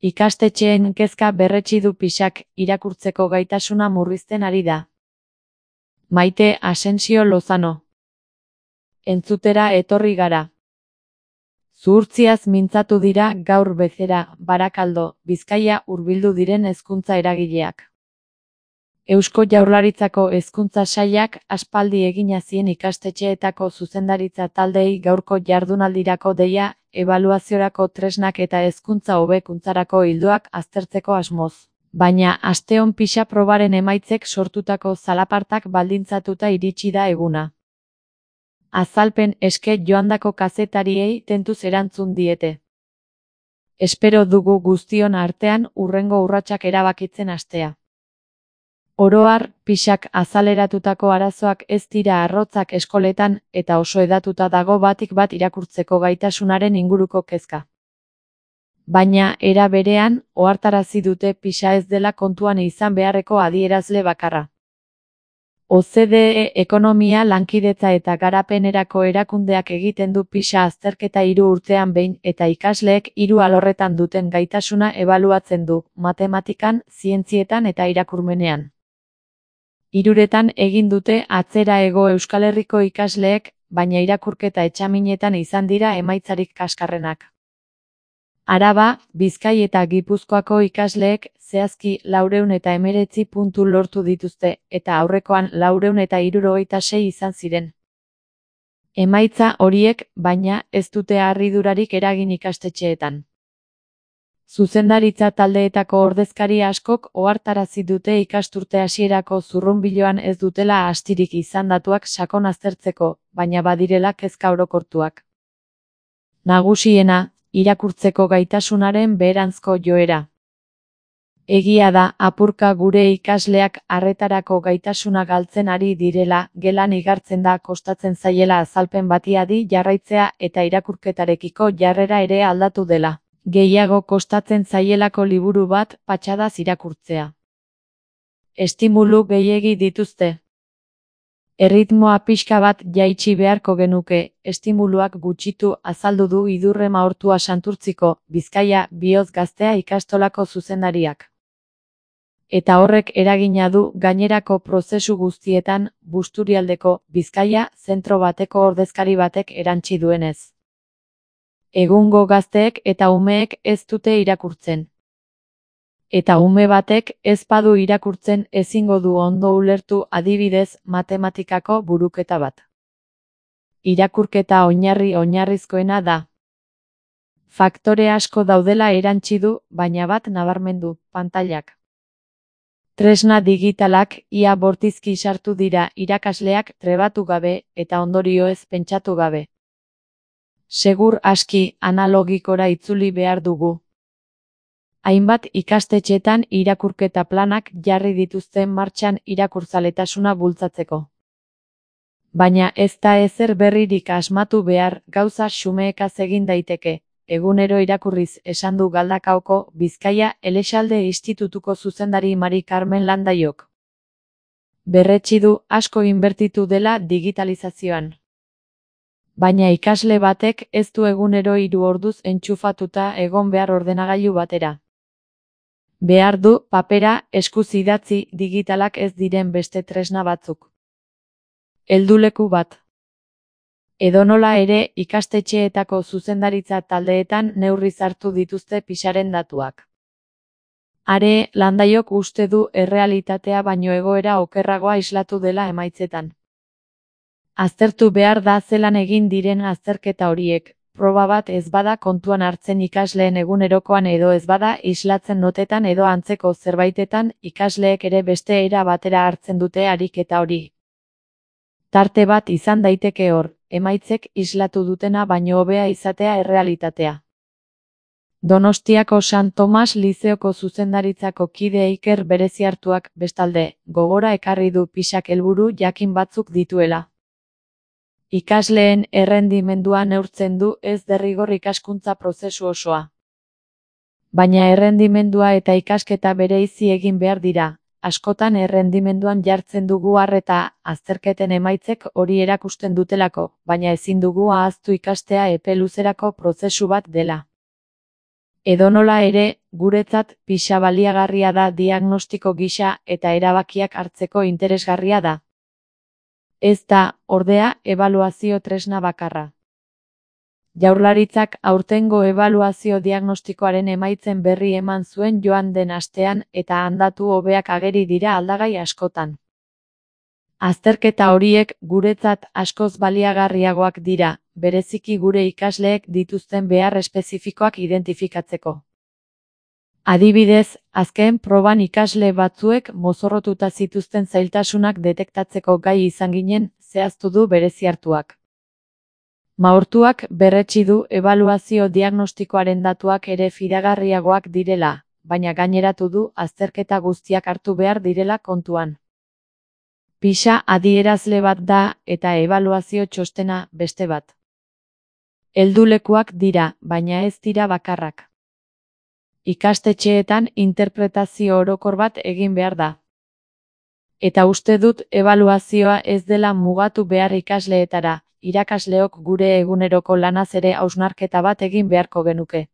Ikastetxeen kezka berretsi du Pixak, irakurtzeko gaitasuna murrizten ari da. Maite Asensio Lozano. Entzutera etorri gara. Zuhurtziaz mintzatu dira gaur bezera, Barakaldo, Bizkaia hurbildu diren hezkuntza eragileak. Eusko Jaurlaritzako Hezkuntza Sailak aspaldi egina zien ikastetxeetako zuzendaritza taldeei gaurko jardunaldirako deia, ebaluaziorako tresnak eta hezkuntza hobekuntzarako ildoak aztertzeko asmoz. Baina asteon Pixa probaren emaitzek sortutako zalapartak baldintzatuta iritsi da eguna. Azalpen eske joandako kazetariei tentuz erantzun diete. Espero dugu guztion artean hurrengo urratsak erabakitzen hastea. Oro har, Pixak azaleratutako arazoak ez dira arrotzak eskoletan eta oso hedatuta dago batik bat irakurtzeko gaitasunaren inguruko kezka. Baina, era berean, ohartarazi dute Pixa ez dela kontuan izan beharreko adierazle bakarra. OCDE ekonomia lankidetza eta garapenerako erakundeak egiten du Pixa azterketa 3 urtean behin eta ikasleek 3 alorretan duten gaitasuna ebaluatzen du, matematikan, zientzietan eta irakurmenean. 3etan egin dute atzera Hego Euskal Herriko ikasleek, baina irakurketa etxaminetan izan dira emaitzarik kaskarrenak. Araba, Bizkai eta Gipuzkoako ikasleek zehazki 419 puntu lortu dituzte, eta aurrekoan 476 izan ziren. Emaitza horiek, baina, ez dute harridurarik eragin ikastetxeetan. Zuzendaritza taldeetako ordezkari askok ohartarazi dute ikasturte hasierako zurrunbiloan ez dutela astirik izan datuak sakon aztertzeko, baina badirela kezka orokortuak. Nagusiena, irakurtzeko gaitasunaren beheranzko joera. Egia da, apurka gure ikasleak arretarako gaitasuna galtzen ari direla, gelan igartzen da kostatzen zaiela azalpen bati adi jarraitzea eta irakurketarekiko jarrera ere aldatu dela. Gehiago kostatzen zaielako liburu bat patxadaz irakurtzea. Estimulu gehiegi dituzte. Erritmoa pixka bat jaitsi beharko genuke, estimuluak gutxitu azaldu du Idurre Maortua Santurtziko, Bizkaia, Bihotz Gaztea ikastolako zuzendariak. Eta horrek eragina du gainerako prozesu guztietan, Busturialdeko, Bizkaia, zentro bateko ordezkari batek erantsi duenez. Egungo gazteek eta umeek ez dute irakurtzen. Eta ume batek ez badu irakurtzen ezingo du ondo ulertu adibidez matematikako buruketa bat. Irakurketa oinarrizkoena da. Faktore asko daudela erantsi du, baina bat nabarmendu, pantailak. Tresna digitalak ia bortizki sartu dira irakasleak trebatu gabe eta ondorioez pentsatu gabe. Segur aski analogikora itzuli behar dugu. Hainbat ikastetxetan irakurketa planak jarri dituzten martxan irakurzaletasuna bultzatzeko. Baina ez da ezer berririk asmatu behar, gauza xumeekaz egin daiteke, egunero irakurriz esan du Galdakaoko Bizkaia Elexalde Institutuko zuzendari Mari Carmen Landaiok. Berretsi du asko inbertitu dela digitalizazioan. Baina ikasle batek ez du egunero 3 orduz entxufatuta egon behar ordenagailu batera. Behar du papera, eskuz idatzi digitalak ez diren beste tresna batzuk. Helduleku bat. Edonola ere ikastetxeetako zuzendaritza taldeetan neurriz hartu dituzte Pixaren datuak. Are, Landaiok uste du errealitatea baino egoera okerragoa islatu dela emaitzetan. Aztertu behar da zelan egin diren azterketa horiek, proba bat ez bada kontuan hartzen ikasleen egunerokoan edo ez bada islatzen notetan edo antzeko zerbaitetan ikasleek ere beste era batera hartzen dute ariketa hori. Tarte bat izan daiteke hor, emaitzek islatu dutena baino hobea izatea errealitatea. Donostiako San Tomas Lizeoko zuzendaritzako kide Iker Bereziartuak, bestalde, gogora ekarri du Pixak helburu jakin batzuk dituela. Ikasleen errendimendua neurtzen du ez derrigor ikaskuntza prozesu osoa. Baina errendimendua eta ikasketa bereizi egin behar dira, askotan errendimenduan jartzen dugu arreta, azterketen emaitzek hori erakusten dutelako, baina ezin dugu ahaztu ikastea epe luzerako prozesu bat dela. Edonola ere, guretzat PISA baliagarria da diagnostiko gisa eta erabakiak hartzeko interesgarria da. Ez da, ordea, ebaluazio tresna bakarra. Jaurlaritzak aurtengo ebaluazio diagnostikoaren emaitzen berri eman zuen joan den astean eta datu hobeak ageri dira aldagai askotan. Azterketa horiek guretzat askoz baliagarriagoak dira, bereziki gure ikasleek dituzten behar espezifikoak identifikatzeko. Adibidez, azken proban ikasle batzuek mozorrotuta zituzten zailtasunak detektatzeko gai izan ginen, zehaztu du bereziartuak. Maurtuak berretsi du ebaluazio diagnostikoaren datuak ere fidagarriagoak direla, baina gaineratu du azterketa guztiak hartu behar direla kontuan. PISA adierazle bat da eta ebaluazio txostena beste bat. Heldulekuak dira, baina ez dira bakarrak. Ikastetxeetan interpretazio orokor bat egin behar da. Eta uste dut ebaluazioa ez dela mugatu behar ikasleetara, irakasleok gure eguneroko lanaz ere hausnarketa bat egin beharko genuke.